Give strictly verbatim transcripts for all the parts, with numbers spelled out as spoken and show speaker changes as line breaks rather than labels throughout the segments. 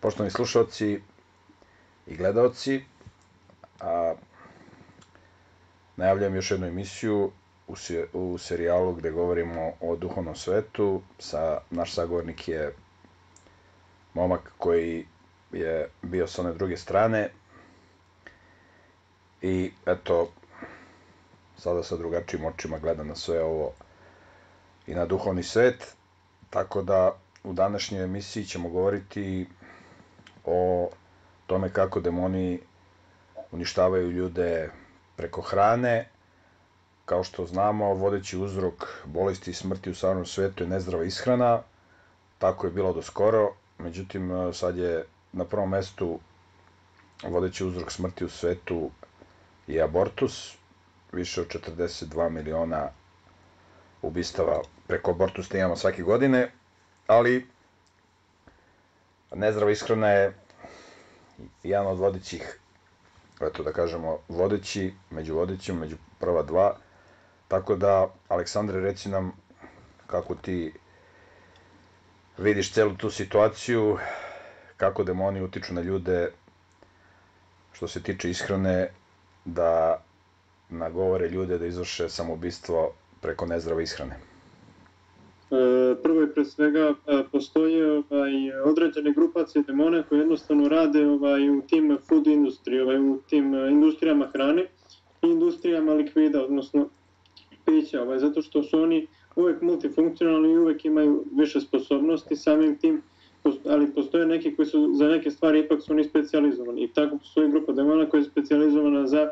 Poštovani slušalci i gledaoci, a, najavljam još jednu emisiju u, se, u serijalu gde govorimo o duhovnom svetu. Sa, naš sagovornik je momak koji je bio sa one druge strane i eto, sada sa drugačijim očima gleda na sve ovo i na duhovni svet, tako da u današnjoj emisiji ćemo govoriti o tome kako demoni uništavaju ljude preko hrane. Kao što znamo, vodeći uzrok bolesti i smrti u savremenom svetu je nezdrava ishrana. Tako je bilo do skoro. Međutim, sad je na prvom mestu vodeći uzrok smrti u svetu je abortus. Više od četrdeset dva miliona ubistava preko abortusa imamo svake godine. Ali nezdrava ishrana je jedan od vodećih, eto da kažemo, vodeći, među vodećim, među prva dva. Tako da, Aleksandre, reci nam kako ti vidiš celu tu situaciju, kako demoni utiču na ljude što se tiče ishrane, da nagovore ljude da izvrše samoubistvo preko nezdrave ishrane.
Prvo i pre svega postoje ovaj, određene grupacije demona koje jednostavno rade ovaj, u tim food industriji, ovaj, u tim industrijama hrane i industrijama likvida, odnosno pića, ovaj, zato što su oni uvek multifunkcionalni i uvek imaju više sposobnosti samim tim, ali postoje neki koji su za neke stvari ipak su oni specijalizovani i tako postoji grupa demona koja je specijalizovana za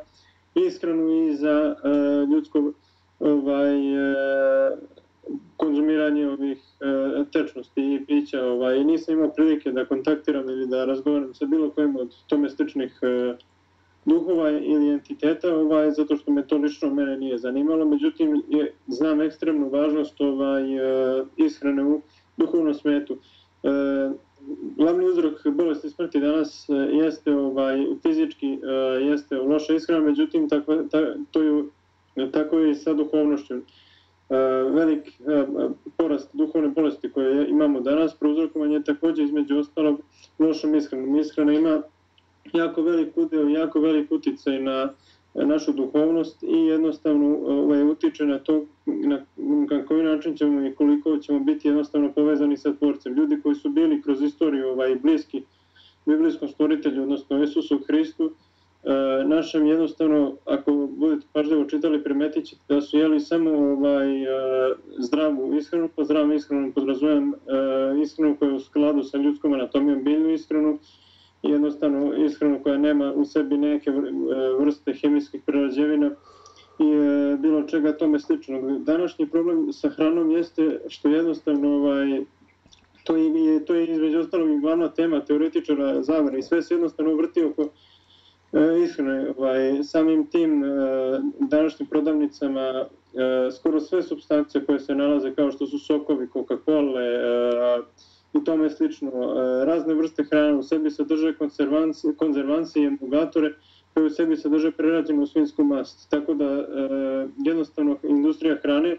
ishranu i za uh, ljudsko ovaj, uh, konzumiranje ovih e, tečnosti i pića. Ovaj, nisam imao prilike da kontaktiram ili da razgovaram sa bilo kojim od tome sličnih e, duhova ili entiteta, ovaj, zato što me to lično mene nije zanimalo. Međutim, je, znam ekstremnu važnost ovaj, e, ishrane u duhovnom svetu. E, glavni uzrok bolesti smrti danas e, jeste ovaj, fizički, e, jeste loša ishrana, međutim, tako, ta, to je, tako je i sa duhovnošću. Velik porast duhovne bolesti koje imamo danas prouzrokovan je također između ostalog lošom ishranom. Ishrana ima jako velik udeo, jako velik uticaj na našu duhovnost i jednostavno ovaj, utiče na to na, na koji način ćemo i koliko ćemo biti jednostavno povezani sa Tvorcem. Ljudi koji su bili kroz istoriju ovaj, bliski biblijskom stvoritelju, odnosno Isusu Hristu, E, našem jednostavno, ako budete pažljivo čitali, primetit ćete da su jeli samo ovaj, e, zdravu ishranu, po zdravom ishranu podrazumijem e, ishranu koja je u skladu sa ljudskom anatomijom, biljnu ishranu, i jednostavno ishranu koja nema u sebi neke vrste hemijskih prerađevina i e, bilo čega tome slično. Današnji problem sa hranom jeste što jednostavno ovaj, to, je, to je između ostalog i glavna tema teoretičara zavere i sve se jednostavno vrti oko ishrane. Ovaj, samim tim današnjim prodavnicama skoro sve supstance koje se nalaze kao što su sokovi, Coca-Cola i tome slično, razne vrste hrane u sebi sadrže konzervancije i emulgatore koje u sebi sadrže prerađenu svinjsku mast. Tako da jednostavno industrija hrane,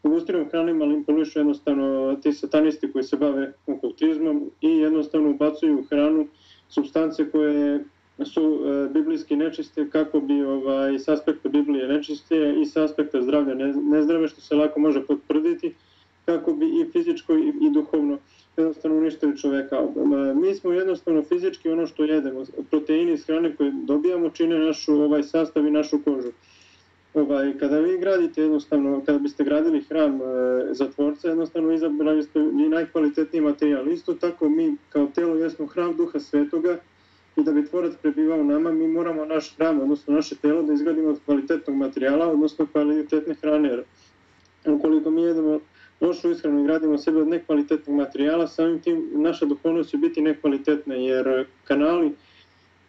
industrijom hrane manipulišu jednostavno ti satanisti koji se bave okultizmom i jednostavno ubacuju u hranu supstance koje su e, biblijski nečiste kako bi ovaj, s aspekta Biblije nečiste i s aspekta zdravlja ne, nezdrave, što se lako može potvrditi, kako bi i fizičko i, i duhovno jednostavno uništili čoveka. E, mi smo jednostavno fizički ono što jedemo, proteini iz hrane koje dobijamo čine našu ovaj, sastav i našu kožu. Ovaj, kada vi gradite jednostavno, kada biste gradili hram e, za Tvorca, jednostavno izabrali ste i najkvalitetniji materijal. Isto tako mi kao telo jesmo hram Duha Svetoga, i da bi Tvorac prebivao nama, mi moramo naš hram, odnosno naše telo, da izgradimo od kvalitetnog materijala, odnosno kvalitetne hrane. Ukoliko mi jedemo lošu ishranu i gradimo sebe od nekvalitetnog materijala, samim tim naša duhovnost će biti nekvalitetna, jer kanali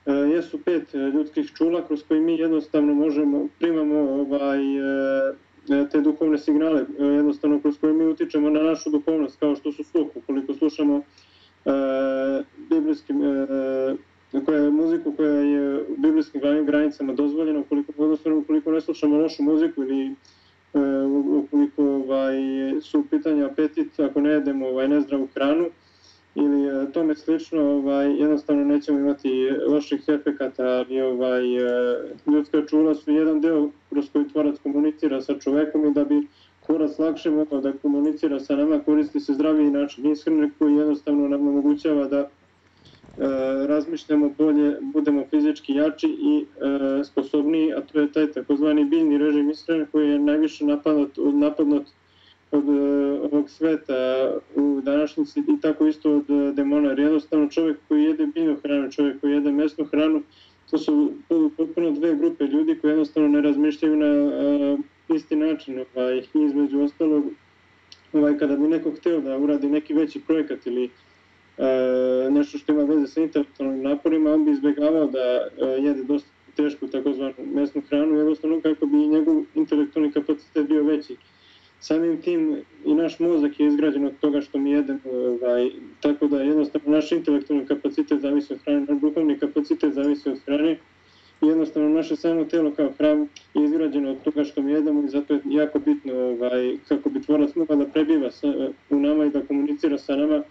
e, jesu pet ljudskih čula kroz koji mi jednostavno možemo, primamo ovaj, e, te duhovne signale, e, jednostavno kroz koje mi utičemo na našu duhovnost, kao što su sluh, ukoliko slušamo e, biblijskim e, koja je muziku koja je u biblijskim granicama dozvoljena, ukoliko, ukoliko ne slušamo lošu muziku ili e, ukoliko ovaj, su pitanja apetit, ako ne jedemo ovaj, nezdravu hranu ili tome slično, ovaj, jednostavno nećemo imati loših efekata, i ovaj, ljudska čula su jedan deo kroz koji tvorac komunicira sa čovekom i da bi tvorac lakše mogao da komunicira sa nama, koristi se zdraviji način ishrane koji jednostavno nam omogućava da e, razmišljamo bolje, budemo fizički jači i e, sposobniji, a to je taj takozvani biljni režim ishrane koji je najviše napadnut, napadnut od ovog sveta u današnjici i tako isto od demona, jer jednostavno čovjek koji jede biljnu hranu, čovjek koji jede mesnu hranu, to su potpuno dve grupe ljudi koji jednostavno ne razmišljaju na uh, isti način, ovaj, između ostalog, ovaj, kada bi neko hteo da uradi neki veći projekat ili uh, nešto što ima veze sa intelektualnim naporima, on bi izbjegavao da uh, jede dosta tešku takozvanu mesnu hranu, jednostavno kako bi njegov intelektualni kapacitet bio veći. Samim tim i naš mozak je izgrađen od toga što mi jedemo, ovaj, tako da jednostavno naš intelektualni kapacitet zavisi od hrane, naš duhovni kapacitet zavisi od hrane i jednostavno naše samo telo kao hram je izgrađeno od toga što mi jedemo i zato je jako bitno ovaj, kako bi tvorac mogao da prebiva sa, u nama i da komunicira sa nama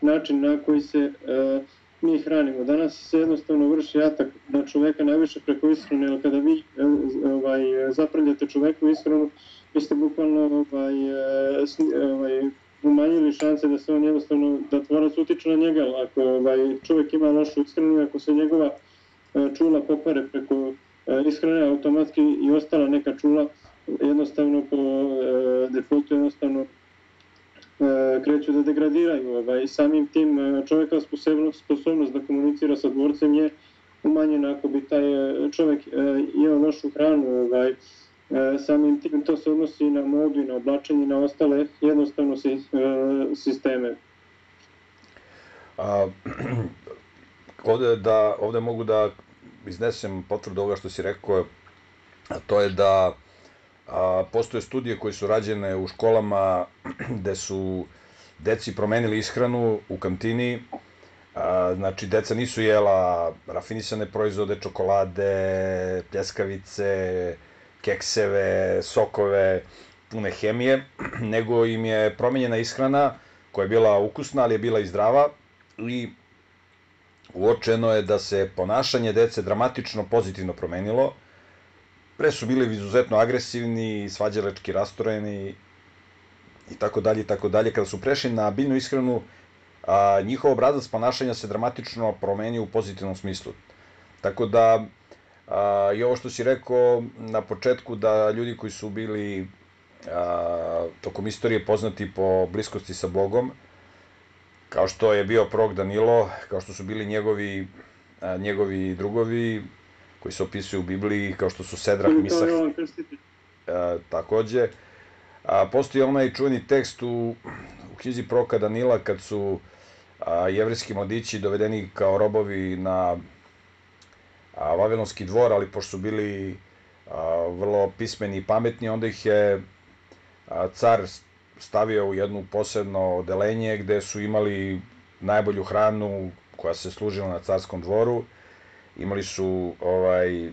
način na koji se uh, mi hranimo. Danas se jednostavno vrši atak na čoveka najviše preko ishrane, jer kada vi ovaj, zaprljate čoveku ishranu, vi ste bukvalno ovaj, ovaj, umanjili šanse da se on jednostavno, da tvorac utiče na njega. Ako ovaj, čovjek ima lošu ishranu, ako se njegova čula pokvare preko ishrane, automatski i ostala neka čula jednostavno po defaultu jednostavno kreću da degradiraju. Ovaj, samim tim čovjeka sposobnost da komunicira sa dvorcem je umanjena ako bi taj čovjek jeo lošu hranu. Ovaj, samim tim to se odnosi na modu i na oblačenje i na ostale jednostavno sisteme.
A, ovde, da, ovde mogu da iznesem potvrdu ovoga što si rekao, a to je da a, postoje studije koje su rađene u školama gde su deci promenili ishranu u kantini. A, znači, deca nisu jela rafinisane proizvode, čokolade, pljeskavice, kekseve, sokove, pune hemije, nego im je promenjena ishrana koja je bila ukusna, ali je bila i zdrava i uočeno je da se ponašanje dece dramatično pozitivno promenilo. Pre su bili izuzetno agresivni, svađalački rastoreni i tako dalje i tako dalje. Kada su prešli na biljnu ishranu, a, njihov obrazac ponašanja se dramatično promenio u pozitivnom smislu. Tako da a, i ovo što si rekao na početku, da ljudi koji su bili a, tokom istorije poznati po bliskosti sa Bogom, kao što je bio prorok Danilo, kao što su bili njegovi, a, njegovi drugovi koji se opisuju u Bibliji, kao što su Sedrah, Misah, a, takođe. A, postoji onaj čuveni tekst u, u knjizi proroka Danila kad su a, jevrejski mladići dovedeni kao robovi na a, Vavilonski dvor, ali pošto su bili a, vrlo pismeni i pametni, onda ih je a, car stavio u jedno posebno odelenje gde su imali najbolju hranu koja se služila na carskom dvoru. Imali su ovaj,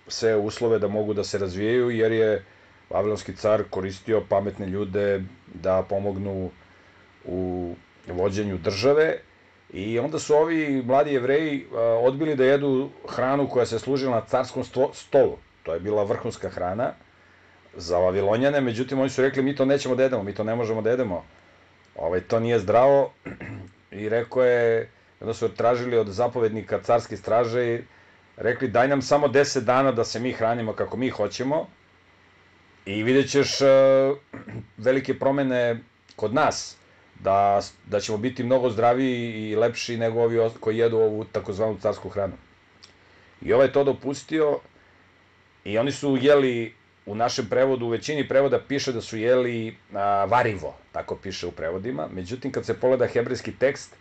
sve uslove da mogu da se razvijaju, jer je Vavilonski car koristio pametne ljude da pomognu u vođenju države. I onda su ovi mladi Jevreji odbili da jedu hranu koja se služila na carskom stolu. To je bila vrhunska hrana za Vavilonjane, međutim oni su rekli mi to nećemo da jedemo, mi to ne možemo da jedemo. Ovaj, to nije zdravo i rekao je, onda su tražili od zapovednika carske straže i rekli daj nam samo deset dana da se mi hranimo kako mi hoćemo i vidjet ćeš velike promene kod nas. Da, da ćemo biti mnogo zdraviji i lepši nego ovi koji jedu ovu takozvanu carsku hranu. I ovaj je to dopustio i oni su jeli, u našem prevodu, u većini prevoda piše da su jeli a, varivo, tako piše u prevodima, međutim kad se pogleda hebrejski tekst,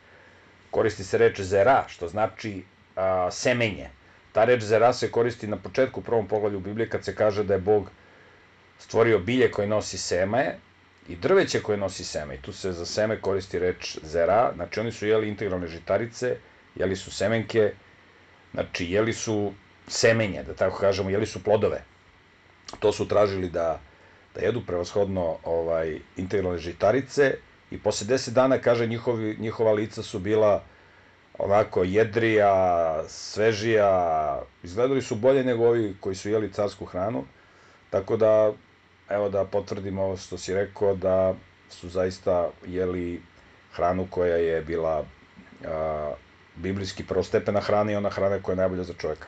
koristi se reč zera, što znači a, semenje. Ta reč zera se koristi na početku u prvom poglavlju Biblije kad se kaže da je Bog stvorio bilje koje nosi seme, i drveće koje nosi seme, i tu se za seme koristi reč zera, znači oni su jeli integralne žitarice, jeli su semenke, znači jeli su semenje, da tako kažemo, jeli su plodove. To su tražili da, da jedu prevashodno ovaj, integralne žitarice i posle deset dana, kaže, njihovi, njihova lica su bila onako jedrija, svežija, izgledali su bolje nego ovi koji su jeli carsku hranu, tako da, evo da potvrdim ovo što si rekao, da su zaista jeli hranu koja je bila a, biblijski prvostepena hrana i ona hrana koja je najbolja za čovjeka.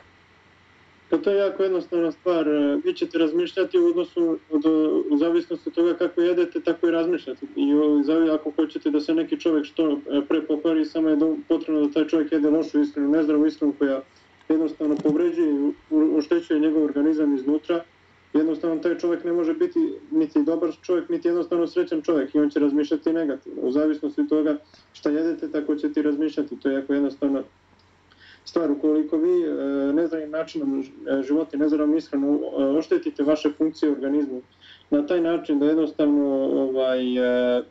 Pa to je jako jednostavna stvar. Vi ćete razmišljati u odnosu, od, u zavisnosti od toga kako jedete, tako i razmišljate. I ako hoćete da se neki čovjek što pre pokvari, samo je potrebno da taj čovjek jede lošu ishranu, nezdravu ishranu koja jednostavno povređuje i oštećuje njegov organizam iznutra. Jednostavno taj čovjek ne može biti niti dobar čovjek, niti jednostavno srećan čovjek i on će razmišljati negativno. U zavisnosti od toga šta jedete, tako ćete i razmišljati. To je jako jednostavna stvar. Ukoliko vi nezdravim načinom života i nezdravom ishranom oštetite vaše funkcije u organizmu na taj način da jednostavno ovaj, e,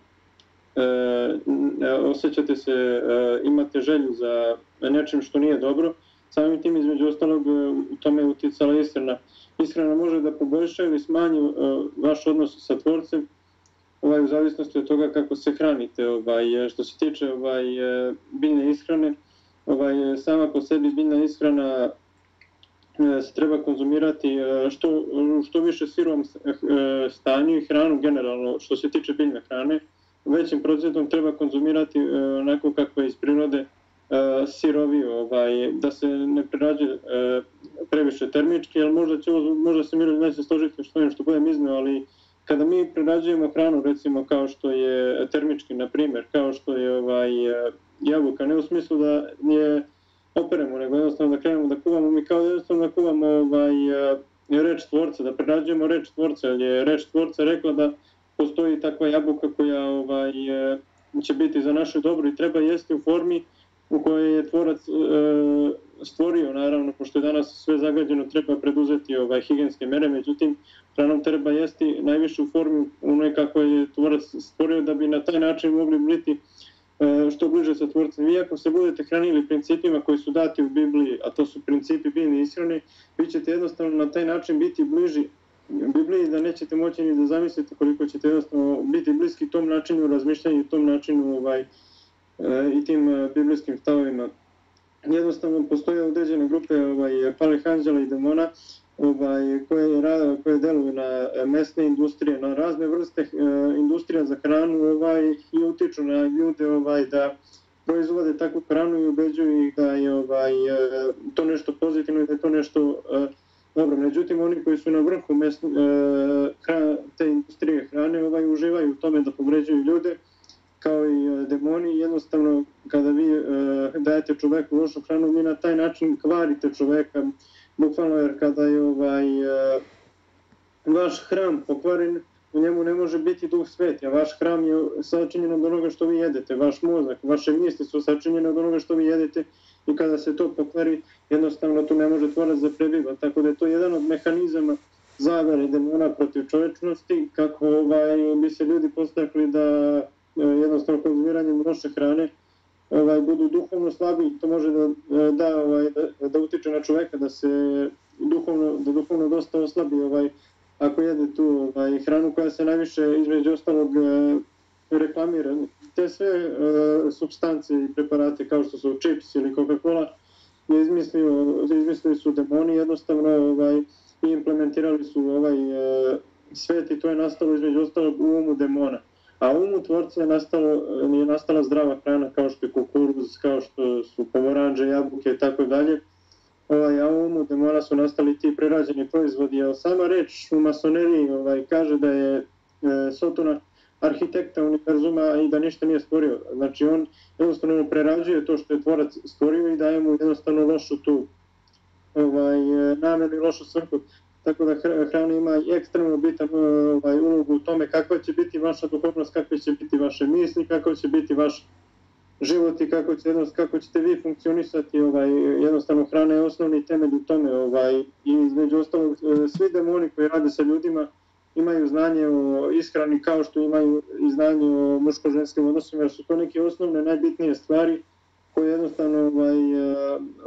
e, osjećate se, e, imate želju za nečim što nije dobro, samim tim između ostalog u tome je uticala ishrana. Ishrana može da poboljša ili smanji e, vaš odnos sa tvorcem, ovaj, u zavisnosti od toga kako se hranite. Ovaj, što se tiče ovaj, biljne ishrane, Ovaj, sama po sebi biljna ishrana se treba konzumirati što, što više sirovom stanju i hranu generalno što se tiče biljne hrane. Većim procentom treba konzumirati onako kako je iz prirode siroviju, ovaj, da se ne prerađe previše termički, jer možda, će, možda se Miro neće složiti što je što budem izneo, ali kada mi prerađujemo hranu, recimo kao što je termički, na primjer, kao što je ovaj, jabuka, ne u smislu da je operemo, nego jednostavno da krenemo da kuvamo, mi kao jednostavno da kuvamo ovaj, reč tvorca, da prerađujemo reč tvorca, jer je reč tvorca rekla da postoji takva jabuka koja ovaj, će biti za naše dobro i treba jesti u formi u kojoj je tvorac e, stvorio, naravno, pošto je danas sve zagađeno, treba preduzeti ovaj, higijenske mere, međutim, hranom treba jesti najviše u formi onoj kako je tvorac stvorio, da bi na taj način mogli biti e, što bliže sa tvorcem. Vi ako se budete hranili principima koji su dati u Bibliji, a to su principi biljne ishrane, vi ćete jednostavno na taj način biti bliži Bibliji, da nećete moći ni da zamislite koliko ćete jednostavno biti bliski tom načinu razmišljanja i tom načinu ovaj, i tim biblijskim stavovima. Jednostavno postoje određene grupe ovaj, palih anđela i demona ovaj, koje, koje deluju na mesne industrije, na razne vrste uh, industrija za hranu ovaj, i utiču na ljude ovaj, da proizvode takvu hranu i ubeđuju ih da je ovaj, to nešto pozitivno i da je to nešto uh, dobro. Međutim, oni koji su na vrhu mesne, uh, hra, te industrije hrane ovaj, uživaju u tome da povređuju ljude, kao i demoni. Jednostavno, kada vi e, dajete čoveku lošu hranu, vi na taj način kvarite čoveka, bukvalno, jer kada je ovaj, e, vaš hram pokvaren, u njemu ne može biti duh sveti, a vaš hram je sačinjen od onoga što vi jedete, vaš mozak, vaše misli su sačinjene od onoga što vi jedete i kada se to pokvari, jednostavno tu ne može tvorac da prebiva, tako da je to jedan od mehanizama zavere demona protiv čovečnosti, kako ovaj, bi se ljudi postakli da jednostavno konzumiranjem loše hrane ovaj, budu duhovno slabi, to može da, da, ovaj, da, da utiče na čoveka, da se duhovno, da duhovno dosta oslabi ovaj, ako jede tu ovaj, hranu koja se najviše između ostalog reklamira. Te sve uh, supstance i preparate kao što su čips ili Coca-Cola izmislili su demoni jednostavno ovaj, i implementirali su ovaj uh, svet i to je nastalo između ostalog u umu demona. A u umu tvorca je, nastalo, je nastala zdrava hrana kao što je kukuruz, kao što su pomoranđe, jabuke i tako dalje. Ovaj, a u umu demona su nastali ti prerađeni proizvodi. A sama reč u masoneriji ovaj, kaže da je e, Sotona arhitekta univerzuma i da ništa nije stvorio. Znači on jednostavno prerađuje to što je tvorac stvorio i daje mu jednostavno lošu tu ovaj, namenu i lošu svrhu. Tako da hrana ima ekstremno bitan ovaj, ulogu u tome kakva će biti vaša duhovnost, kakve će biti vaše misli, kako će biti vaš život i kako, će, kako ćete vi funkcionisati. Ovaj, jednostavno hrana je osnovni temelj u tome. Ovaj, I između ostalog, svi demoni koji rade sa ljudima imaju znanje o ishrani kao što imaju i znanje o muško-ženskim odnosima, jer su to neke osnovne, najbitnije stvari koje jednostavno ovaj,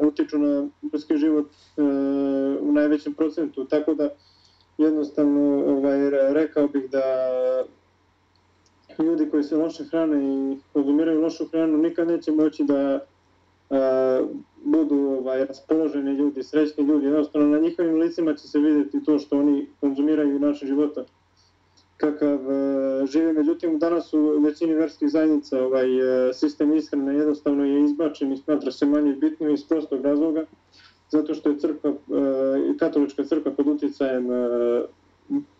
utiču na ljudski život uh, u najvećem procentu. Tako da jednostavno ovaj, rekao bih da ljudi koji se loše hrane i konzumiraju lošu hranu nikad neće moći da budu ovaj, raspoloženi ljudi, srećni ljudi, jednostavno na njihovim licima će se vidjeti to što oni konzumiraju način života kakav žive. Međutim, danas u većini verskih zajednica ovaj sistem ishrane jednostavno je izbačen i smatra se manje bitnim iz prostog razloga, zato što je crkva, katolička crkva pod utjecajem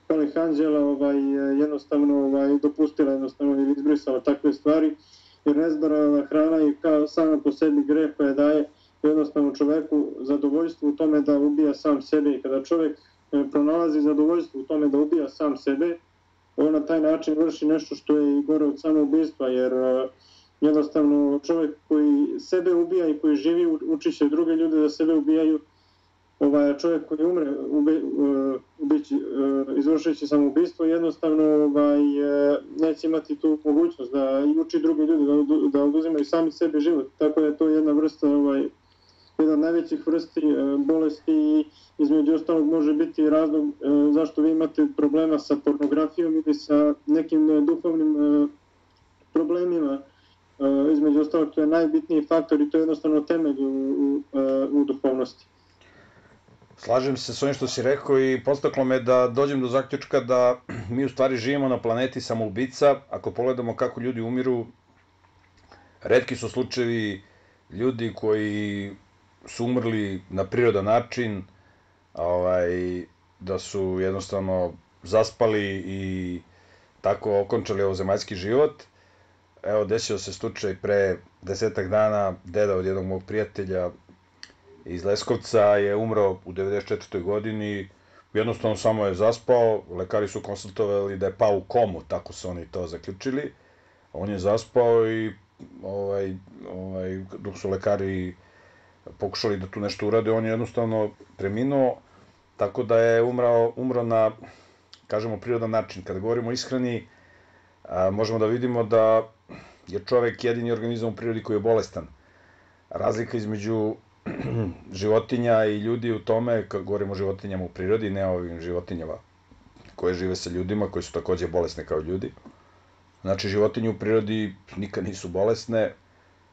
Palih anđela ovaj, jednostavno ovaj, dopustila jednostavno ili izbrisala takve stvari, jer nezdarana hrana je kao sama po sebi greh koja daje jednostavno čoveku zadovoljstvo u tome da ubija sam sebe, i kada čovjek pronalazi zadovoljstvo u tome da ubija sam sebe, on na taj način vrši nešto što je i gore od samoubistva, jer jednostavno čovjek koji sebe ubija i koji živi uči će druge ljude da sebe ubijaju. Ovaj, čovjek koji umre ube, ubići, izvršujući samoubistvo jednostavno ovaj, neće imati tu mogućnost da uči druge ljude da, da oduzimaju sami sebi život. Tako da je to jedna vrsta, ovaj, jedna od najvećih vrsti bolesti i između ostalog može biti razlog zašto vi imate problema sa pornografijom ili sa nekim duhovnim problemima. Između ostalog to je najbitniji faktor i to je jednostavno temelj u, u, u duhovnosti.
Slažem se s ovim što si rekao i podstaklo me da dođem do zaključka da mi u stvari živimo na planeti samoubica. Ako pogledamo kako ljudi umiru, retki su slučajevi ljudi koji su umrli na prirodan način, ovaj, da su jednostavno zaspali i tako okončali ovozemaljski život. Evo, desio se slučaj pre desetak dana, deda od jednog mog prijatelja iz Leskovca je umro u devedeset četvrtoj godini, jednostavno samo je zaspao, lekari su konsultovali da je pao u komu, tako su oni to zaključili. On je zaspao i ovaj, ovaj, dok su lekari pokušali da tu nešto urade, on je jednostavno preminuo, tako da je umrao, umro na, kažemo, prirodan način. Kada govorimo o ishrani, a, možemo da vidimo da je čovek jedini organizam u prirodi koji je bolestan. Razlika između životinja i ljudi u tome, kad govorimo o životinjama u prirodi, ne o ovim životinjama koje žive sa ljudima, koji su takođe bolesne kao ljudi. Znači, životinje u prirodi nikad nisu bolesne.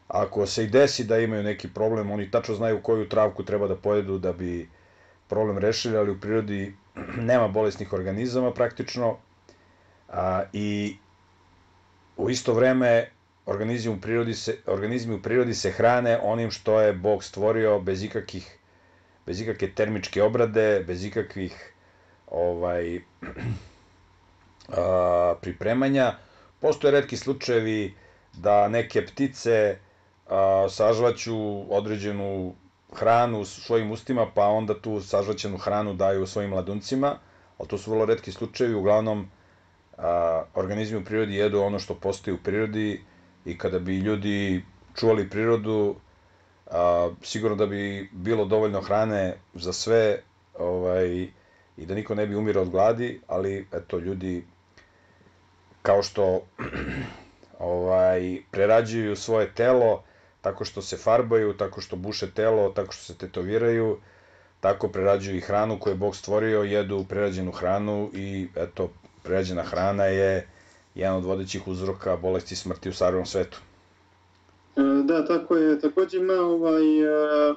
Ako se i desi da imaju neki problem, oni tačno znaju koju travku treba da pojedu da bi problem rešili, ali u prirodi nema bolesnih organizama praktično. A, I u isto vreme organizmi u prirodi se, organizmi u prirodi se hrane onim što je Bog stvorio bez ikakih, bez ikakve termičke obrade, bez ikakvih ovaj, a, pripremanja. Postoje retki slučajevi da neke ptice a, sažvaću određenu hranu u svojim ustima, pa onda tu sažvaćenu hranu daju svojim mladuncima, ali to su vrlo retki slučajevi. Uglavnom, a, organizmi u prirodi jedu ono što postoji u prirodi i kada bi ljudi čuvali prirodu, a, sigurno da bi bilo dovoljno hrane za sve, ovaj, i da niko ne bi umirao od gladi, ali eto, ljudi kao što ovaj, prerađuju svoje telo tako što se farbaju, tako što buše telo, tako što se tetoviraju, tako prerađuju i hranu koju je Bog stvorio, jedu prerađenu hranu i eto, prerađena hrana je jedan od vodećih uzroka bolesti i smrti u savremenom svetu.
Da, tako je. Takođe ima ovaj, a,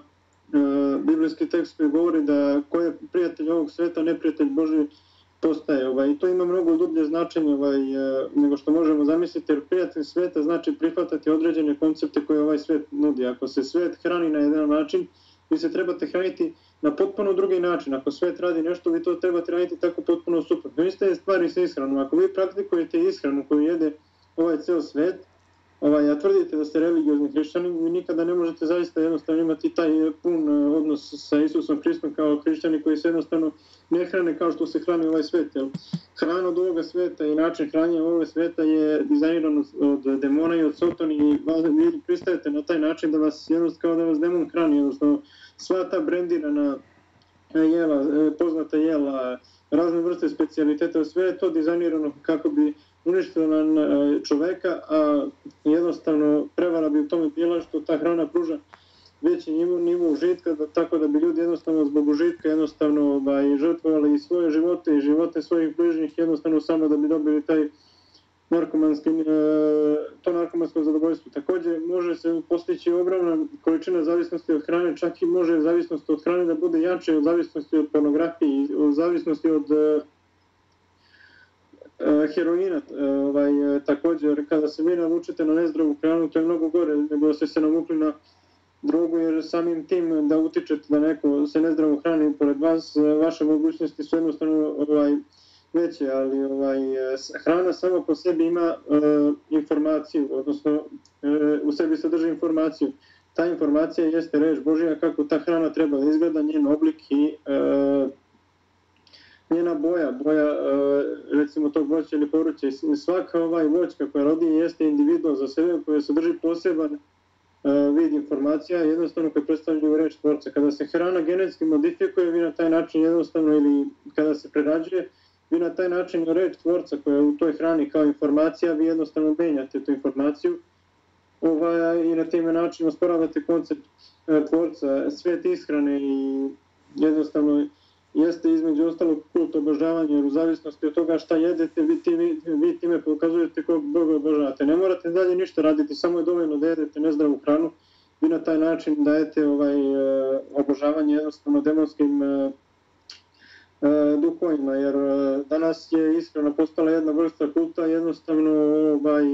a, biblijski tekst koji govori da ko je prijatelj ovog sveta, neprijatelj Božji postaje. Ovaj, I to ima mnogo dublje značenje ovaj, nego što možemo zamisliti, jer prijatelj sveta znači prihvatati određene koncepte koje ovaj svet nudi. Ako se svet hrani na jedan način, vi se trebate hraniti na potpuno drugi način. Ako svet radi nešto, vi to trebate raditi tako potpuno suprotno. Iste je stvari sa ishranom. Ako vi praktikujete ishranu koju jede ovaj ceo svet, ovaj, a tvrdite da ste religiozni hrišćani, vi nikada ne možete zaista jednostavno imati taj pun odnos sa Isusom Hristom kao hrišćani koji se jednostavno ne hrane kao što se hrani ovaj svet. Jel? Hrana od ovoga sveta i način hranjenja ovoga sveta je dizajniran od demona i od sotoni i vi pristajete na taj način da vas jednostavno kao da vas demon hrani. Jednostavno sva ta brendirana jela, poznata jela, razne vrste specijaliteta, sve je to dizajnirano kako bi uništila na čoveka, a jednostavno prevara bi u tome bila što ta hrana pruža veći nivo, nivo užitka, da, tako da bi ljudi jednostavno zbog užitka jednostavno ovaj, žrtvovali i svoje živote i živote svojih bližnjih jednostavno samo da bi dobili taj narkomanski, to narkomansko zadovoljstvo. Takođe, može se postići ogromna količina zavisnosti od hrane, čak i može zavisnost od hrane da bude jače od zavisnosti od pornografije, od zavisnosti od heroina. Ovaj, takođe, kada se vi navučete na nezdravu hranu, to je mnogo gore nego da ste se navukli na drogu, jer samim tim da utičete da neko se nezdravo hrani pored vas, vaše mogućnosti su jednostavno ovaj, veće, ali ovaj, hrana sama po sebi ima uh, informaciju, odnosno uh, u sebi sadrži informaciju. Ta informacija jeste reč Božja kako ta hrana treba da izgleda, njen oblik i uh, njena boja, boja uh, recimo tog voća ili povrća. Svaka ovaj voćka koja rodi jeste individual za sebe, koja sadrži poseban uh, vid informacija, jednostavno koje predstavljaju reč Tvorca. Kada se hrana genetski modifikuje, vi na taj način jednostavno, ili kada se prerađuje, vi na taj način reč Tvorca koja je u toj hrani kao informacija, vi jednostavno menjate tu informaciju ovaj, i na time način osporavate koncept e, Tvorca. Svet ishrane i jednostavno jeste između ostalog kult obožavanja, jer u zavisnosti od toga šta jedete, vi, ti, vi, vi time pokazujete kog Boga obožavate. Ne morate dalje ništa raditi, samo je dovoljno da jedete nezdravu hranu, vi na taj način dajete ovaj, e, obožavanje jednostavno demonskim e, duhovima, jer danas je ishrana postala jedna vrsta kulta, jednostavno ovaj,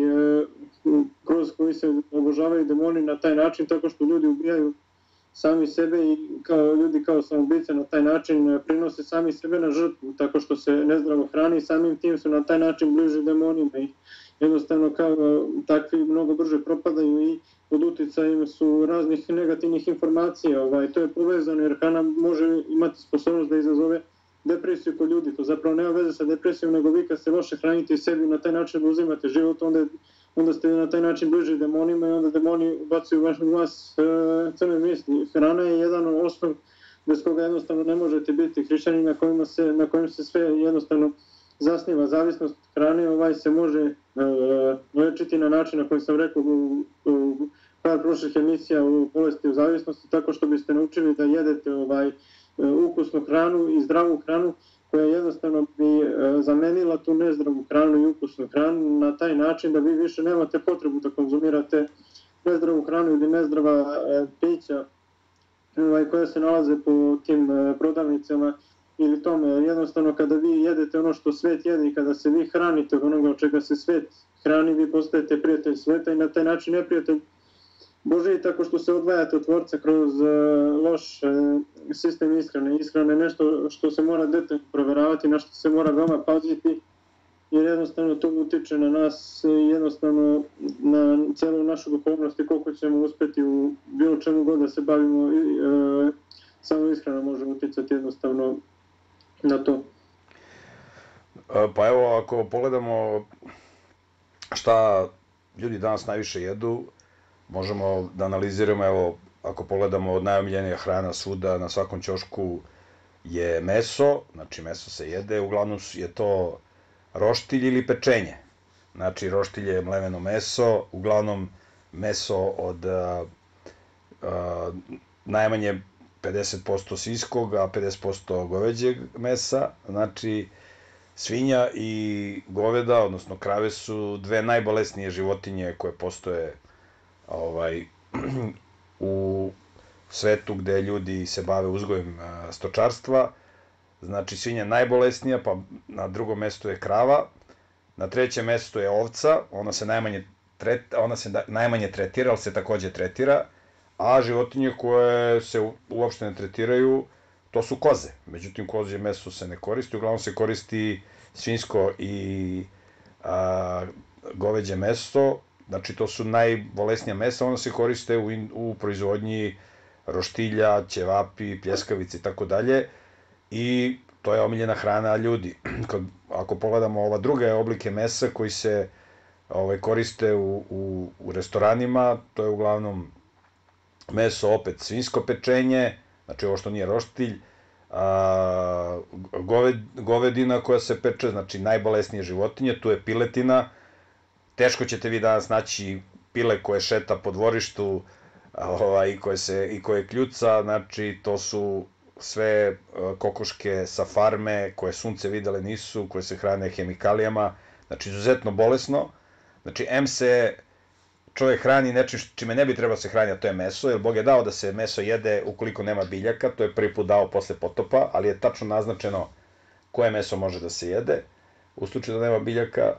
kroz koji se obožavaju demoni na taj način, tako što ljudi ubijaju sami sebe i kao ljudi kao samoubice na taj način prinose sami sebe na žrtvu, tako što se nezdravo hrani i samim tim su na taj način bliži demonima i jednostavno kao takvi mnogo brže propadaju i pod uticajem su raznih negativnih informacija. Ovaj, to je povezano jer hrana može imati sposobnost da izazove depresiju kod ljudi, to zapravo nema veze sa depresijom, nego vi kad se loše hranite i sebi na taj način uzimate život, onda, onda ste na taj način bliži demonima i onda demoni ubacuju vaš, u vas e, crne misli. Hrana je jedan osnov bez koga jednostavno ne možete biti hrišćani, na kojima se, na kojim se sve jednostavno zasniva. Zavisnost hrane ovaj se može e, lečiti na način na koji sam rekao u, u par prošlih emisija u bolesti u zavisnosti, tako što biste naučili da jedete ovaj ukusnu hranu i zdravu hranu koja jednostavno bi zamenila tu nezdravu hranu i ukusnu hranu na taj način da vi više nemate potrebu da konzumirate nezdravu hranu ili nezdrava pića koja se nalaze po tim prodavnicama ili tome. Jednostavno kada vi jedete ono što svet jede i kada se vi hranite od onoga od čega se svet hrani, vi postajete prijatelj sveta i na taj način neprijatelj Božiji, tako što se odvajate od Tvorca kroz uh, loš uh, sistem ishrane. Ishrana je nešto što se mora detaljno proveravati, na što se mora veoma paziti, jer jednostavno to utiče na nas i jednostavno na celu našu duhovnost i koliko ćemo uspeti u bilo čemu god da se bavimo. Uh, samo ishrana može uticati jednostavno na to.
Pa evo, ako pogledamo šta ljudi danas najviše jedu, možemo da analiziramo, evo, ako pogledamo od najomiljenija hrana svuda, na svakom ćošku je meso, znači meso se jede, uglavnom je to roštilj ili pečenje. Znači roštilj je mleveno meso, uglavnom meso od a, a, najmanje pedeset posto svinjskog, a pedeset posto goveđeg mesa, znači svinja i goveda, odnosno krave su dve najbolesnije životinje koje postoje ovaj, u svetu gde ljudi se bave uzgojem stočarstva. Znači svinja je najbolesnija, pa na drugom mestu je krava, na trećem mestu je ovca, ona se najmanje, tret, ona se najmanje tretira, ali se takođe tretira, a životinje koje se uopšte ne tretiraju, to su koze. Međutim, kozje meso se ne koristi, uglavnom se koristi svinjsko i a, goveđe meso. Znači, to su najbolesnija mesa, ona se koriste u, u proizvodnji roštilja, ćevapi, pljeskavice i tako dalje. I to je omiljena hrana ljudi. Kad, ako pogledamo ova druge oblike mesa koji se ovaj, koriste u, u, u restoranima, to je uglavnom meso, opet svinjsko pečenje, znači ovo što nije roštilj, a, goved, govedina koja se peče, znači najbolesnije životinje, tu je piletina. Teško ćete vi danas naći pile koje šeta po dvorištu ovaj, i, koje se, i koje kljuca, znači to su sve kokoške sa farme koje sunce videle nisu, koje se hrane hemikalijama, znači izuzetno bolesno, znači em se čovjek hrani nečim čime ne bi trebao se hrani, a to je meso, jer Bog je dao da se meso jede ukoliko nema biljaka, to je prvi put dao posle potopa, ali je tačno naznačeno koje meso može da se jede, u slučaju da nema biljaka.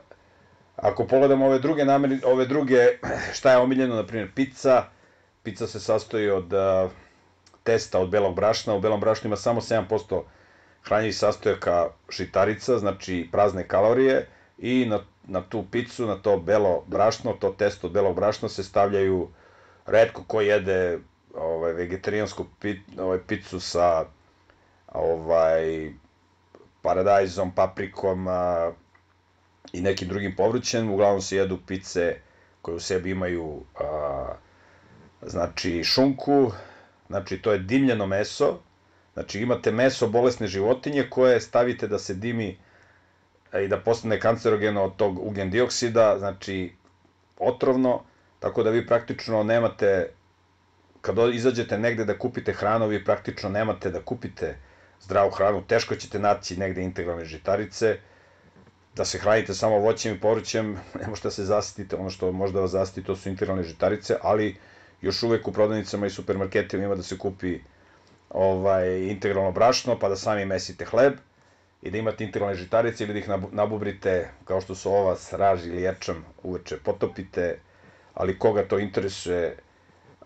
Ako pogledamo ove druge nameri, ove druge, šta je omiljeno, na primjer pizza, pizza se sastoji od uh, testa od belog brašna, u belom brašnu ima samo sedam posto hranjivih sastojaka žitarica, znači prazne kalorije, i na, na tu picu, na to belo brašno, to testo od belog brašna se stavljaju, retko ko jede ovaj, vegetarijansku pit, ovaj, picu sa ovaj, paradajzom, paprikom a, i nekim drugim povrćem, uglavnom se jedu pice koje u sebi imaju a, znači šunku, znači to je dimljeno meso, znači imate meso bolesne životinje koje stavite da se dimi i da postane kancerogeno od tog ugljen dioksida, znači otrovno, tako da vi praktično nemate, kad izađete negde da kupite hranu, vi praktično nemate da kupite zdravu hranu, teško ćete naći negde integralne žitarice, da se hranite samo voćem i povrćem, ne možete da se zasitite, ono što možda vas zasiti to su integralne žitarice, ali još uvek u prodavnicama i supermarketima ima da se kupi ovaj, integralno brašno, pa da sami mesite hleb i da imate integralne žitarice ili da ih nabubrite, kao što su ova s raž ili ječam, uveče potopite, ali koga to interesuje,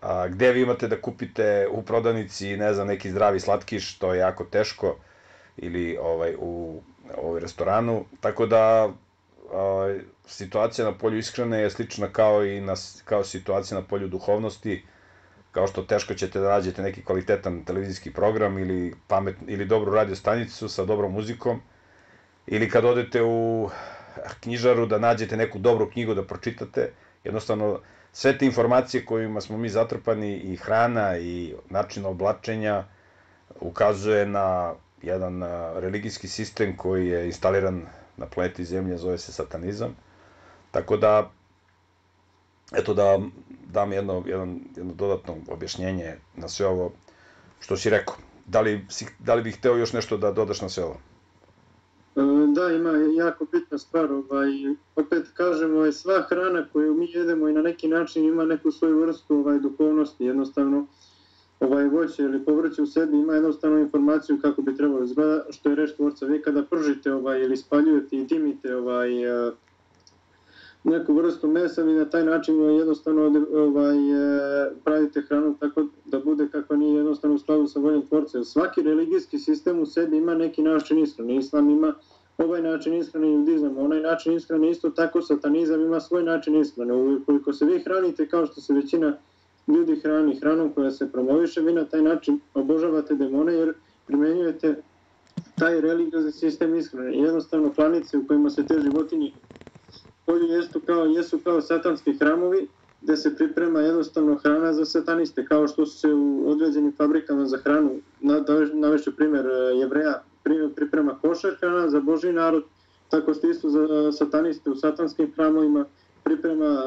a, gde vi imate da kupite u prodavnici, ne znam, neki zdravi slatkiš, to je jako teško, ili ovaj, u ovaj, restoranu, tako da a, situacija na polju ishrane je slična kao i na, kao situacija na polju duhovnosti, kao što teško ćete da nađete neki kvalitetan televizijski program ili, pamet, ili dobru radio stanicu sa dobrom muzikom, ili kad odete u knjižaru da nađete neku dobru knjigu da pročitate, jednostavno sve te informacije kojima smo mi zatrpani i hrana i način oblačenja ukazuje na jedan religijski sistem koji je instaliran na planeti Zemlje, zove se satanizam. Tako da, eto da dam jedno, jedno, jedno dodatno objašnjenje na sve ovo što si rekao. Da li, da li bih hteo još nešto da dodaš na sve ovo?
Da, ima jako bitna stvar. Ovaj, opet kažemo, sva hrana koju mi jedemo i na neki način ima neku svoju vrstu ovaj, duhovnosti. Jednostavno, ovaj, voće ili povrće u sebi ima jednostavno informaciju kako bi trebalo izgleda, što je reč tvorca. Vi kada pržite ovaj, ili spaljujete i dimite ovaj, neku vrstu mesa, vi na taj način jednostavno ovaj, pravite hranu tako da bude kako nije jednostavno u skladu sa voljom tvorca. Svaki religijski sistem u sebi ima neki način ishrane. Islam ima ovaj način ishrane, judizam, onaj način ishrane, isto tako satanizam ima svoj način ishrane. Ukoliko se vi hranite kao što se većina ljudi hrani hranom koja se promoviše, vi na taj način obožavate demone jer primenjujete taj religiozni sistem ishrane. Jednostavno klanice u kojima se te životinje polju jesu kao, jesu kao satanski hramovi gde se priprema jednostavno hrana za sataniste, kao što su se u određenim fabrikama za hranu, navešću primjer Jevreja, priprema košer hrana za Božji narod, tako što isto za sataniste u satanskim hramovima priprema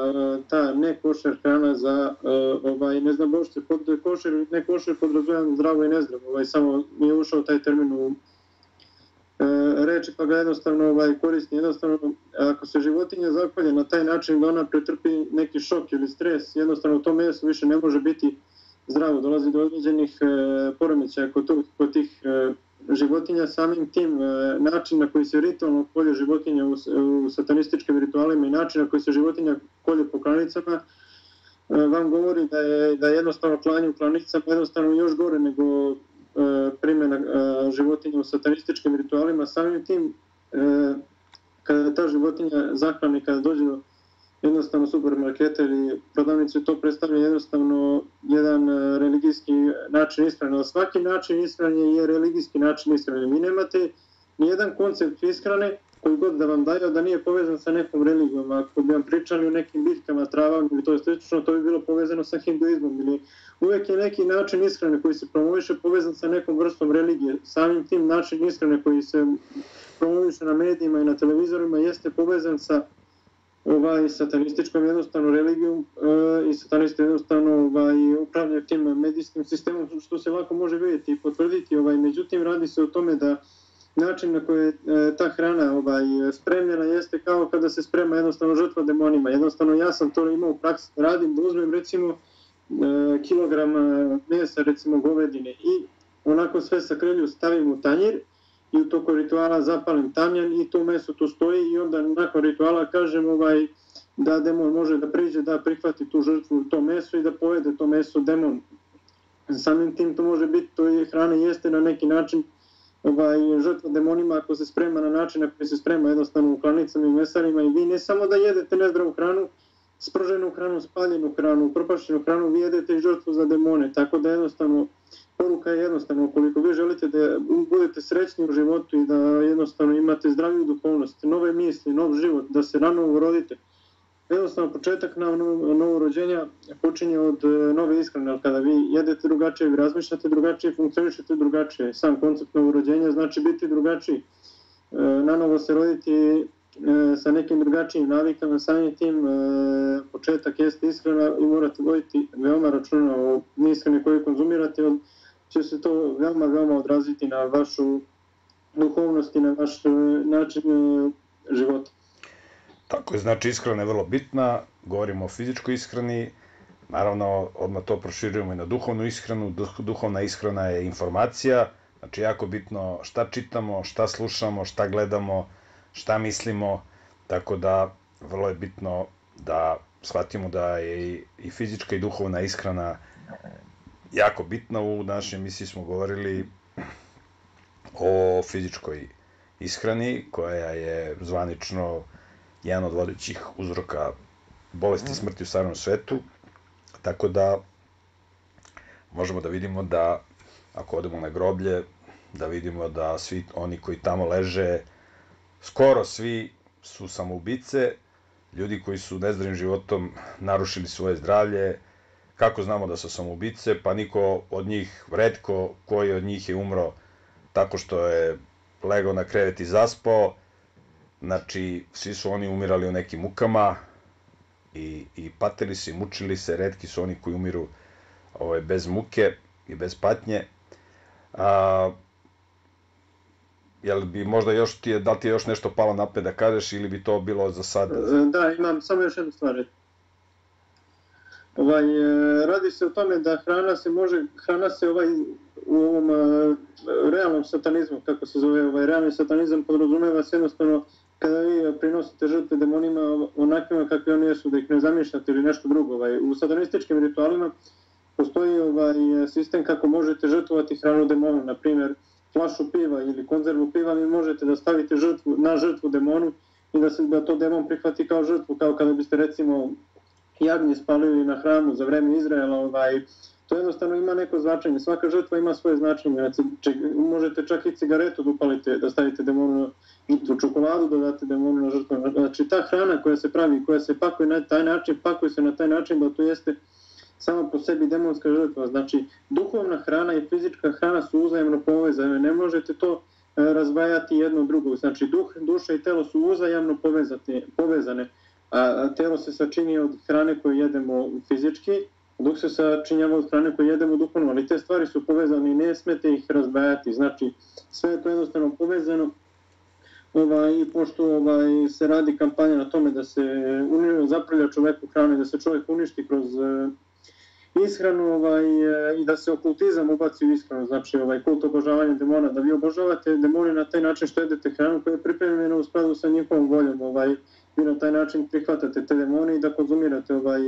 ta ne košer hrana za ovaj, ne znam bošće, pod košer, ne košer podrazumijam zdravo i nezdravo, ovaj, samo mi je ušao taj termin u reči pa ga jednostavno ovaj, koristi. Jednostavno, ako se životinja zakolje na taj način da ona pretrpi neki šok ili stres, jednostavno to meso više ne može biti zdravo, dolazi do određenih e, poremećaja kod, kod tih e, životinja, samim tim e, način na koji se ritualno kolje životinja u, u satanističkim ritualima i način na koji se životinja kolje po klanicama e, vam govori da je, da je jednostavno klanje u klanicama jednostavno još gore nego primjena životinja u satanističkim ritualima. Samim tim, kada ta životinja zahrani, kada dođe do jednostavno supermarketa ili prodavnice, to predstavlja jednostavno jedan religijski način ishrane. Svaki način ishrane je religijski način ishrane. Vi nemate nijedan koncept ishrane koji god da vam daju da nije povezan sa nekom religijom. Ako bi vam pričali o nekim biljkama, travama ili to je slično, to bi bilo povezano sa hinduizmom. Ili uvek je neki način ishrane koji se promoviše povezan sa nekom vrstom religije. Samim tim način ishrane koji se promoviše na medijima i na televizorima jeste povezan sa ovaj, satanističkom jednostavno religijom e, i satanisti jednostavno ovaj, upravljaju tim medijskim sistemom, što se lako može vidjeti i potvrditi. Ovaj, međutim, radi se o tome da način na koji je ta hrana ovaj, spremljena jeste kao kada se sprema jednostavno žrtva demonima. Jednostavno ja sam to imao u praksi da radim, da uzmem recimo kilogram mesa, recimo govedine i onako sve sa krelju stavim u tanjir i u toku rituala zapalim tamjan i to meso tu stoji i onda nakon rituala kažem ovaj, da demon može da priđe, da prihvati tu žrtvu, to meso i da pojede to meso demon. Samim tim to može biti, to je hrana jeste na neki način ovaj, žrtva demonima ako se sprema na način na koji se sprema jednostavno u klanicama i mesarima i vi ne samo da jedete nezdravu hranu, sprženu hranu, spaljenu hranu, propašćenu hranu, vi jedete i žrtvu za demone, tako da jednostavno poruka je jednostavno, ukoliko vi želite da budete srećni u životu i da jednostavno imate zdraviju duhovnost, nove misli, nov život, da se rano urodite, jednostavno početak na novo rođenja počinje od nove ishrane, ali kada vi jedete drugačije, vi razmišljate drugačije, funkcionišete drugačije. Sam koncept novorođenja znači biti drugačiji, na novo se roditi sa nekim drugačijim navikama, samim tim početak jeste ishrana i morate voditi veoma računa o ishrani koju konzumirate, jer će se to veoma, veoma odraziti na vašu duhovnost i na vaš način života.
Tako je, znači ishrana je vrlo bitna, govorimo o fizičkoj ishrani, naravno odmah to proširujemo i na duhovnu ishranu, duhovna ishrana je informacija, znači jako bitno šta čitamo, šta slušamo, šta gledamo, šta mislimo, tako da vrlo je bitno da shvatimo da je i fizička i duhovna ishrana jako bitna. U našoj emisiji smo govorili o fizičkoj ishrani koja je zvanično jedan od vodećih uzroka bolesti i smrti u stvarnom svetu, tako da možemo da vidimo da ako odemo na groblje, da vidimo da svi oni koji tamo leže, skoro svi su samoubice, ljudi koji su nezdravim životom narušili svoje zdravlje. Kako znamo da su samoubice? Pa niko od njih, retko koji od njih je umro tako što je legao na krevet i zaspao. Znači, svi su oni umirali u nekim mukama i, i patili se i mučili se. Retki su oni koji umiru ovaj, bez muke i bez patnje. A, jel bi možda još ti je, da li ti je još nešto palo na pamet da kažeš ili bi to bilo za sad?
Da, imam samo još jednu stvar. Ovaj, radi se o tome da hrana se može, hrana se ovaj, u ovom uh, realnom satanizmu, kako se zove, ovaj, realni satanizam podrazumeva se jednostavno kada vi prinosite žrtve demonima onakvima kakvi oni jesu, da ih ne zamišljate ili nešto drugo. Ovaj. U satanističkim ritualima postoji ovaj, sistem kako možete žrtvovati hranu demonu, na primjer flašu piva ili konzervu piva, vi možete da stavite žrtvu, na žrtvu demonu i da, se, da to demon prihvati kao žrtvu, kao kada biste recimo jagnje spalili na hramu za vreme Izraela, ovaj, to jednostavno ima neko značenje, svaka žrtva ima svoje značenje, znači, možete čak i cigaretu da upalite, da stavite demonu na žrtvu, čokoladu da date demonu na žrtvu, znači ta hrana koja se pravi, koja se pakuje na taj način, pakuje se na taj način da to jeste samo po sebi demonska žrtva, znači duhovna hrana i fizička hrana su uzajamno povezane, ne možete to razdvajati jedno drugo, znači duh, duša i telo su uzajamno povezane, a telo se sačini od hrane koju jedemo fizički, duh se sačinjava od hrane koju jedemo duhovno, ali te stvari su povezane i ne smete ih razdvajati, znači sve je to jednostavno povezano. Ovaj, pošto ovaj, se radi kampanja na tome da se zapravlja čoveku hrane, da se čovjek uništi kroz ishranu ovaj, i da se okultizam ubaci u ishranu, znači ovaj, kult obožavanja demona, da vi obožavate demone na taj način što jedete hranu koja je pripremljena u skladu sa njihovom voljom, ovaj, vi na taj način prihvatate te demone i da konzumirate ovaj,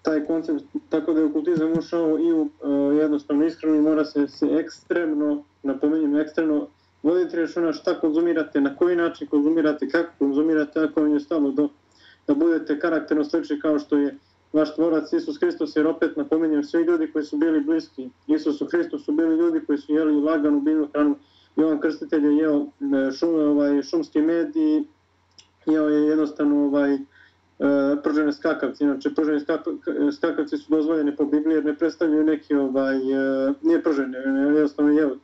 taj koncept, tako da je okultizam ušao i u uh, jednostavno ishranu i mora se, se ekstremno, napominjem ekstremno, voditi računa šta konzumirate, na koji način konzumirate, kako konzumirate, ako vam je stalo do, da budete karakterno slični kao što je vaš tvorac Isus Hristos, jer opet napominjem, svi ljudi koji su bili bliski Isusu Hristu su bili ljudi koji su jeli laganu biljnu hranu. Jovan Krstitelj je jeo šum, ovaj, šumski med i jeo je jednostavno ovaj, pržene skakavci. Inače, prženi skakavci su dozvoljeni po Bibliji jer ne predstavljaju neki, ovaj, nije pržene, jednostavno jeo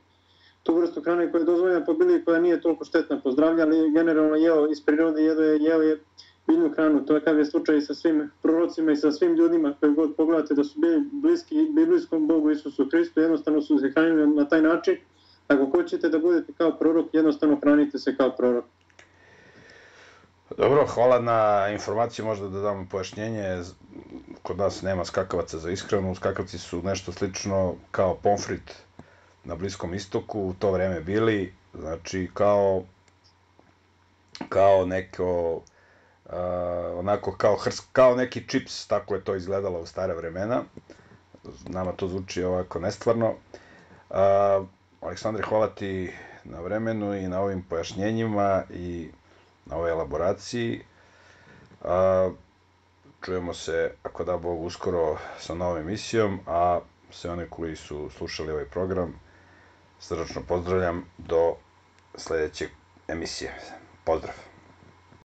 tu vrstu hrane koja je dozvoljena po Bibliji, koja nije toliko štetna po zdravlje, ali generalno jeo iz prirode, jeo je, jeo je biljnu hranu. To je kao je slučaj i sa svim prorocima i sa svim ljudima koji god pogledate da su bili bliski biblijskom Bogu Isusu Hristu, jednostavno su se hranili na taj način, ako hoćete da budete kao prorok, jednostavno hranite se kao prorok.
Dobro, hvala na informaciju, možda da dam pojašnjenje. Kod nas nema skakavaca za ishranu, skakavci su nešto slično kao pomfrit na Bliskom istoku, u to vreme bili, znači kao kao neko uh, onako kao, hrs, kao neki čips, tako je to izgledalo u stare vremena. Nama to zvuči ovako nestvarno. Uh, Aleksandre, hvala ti na vremenu i na ovim pojašnjenjima i na ovoj elaboraciji. Uh, čujemo se, ako da Bog, uskoro sa novom emisijom, a sve one koji su slušali ovaj program srdačno pozdravljam do sledeće emisije. Pozdrav!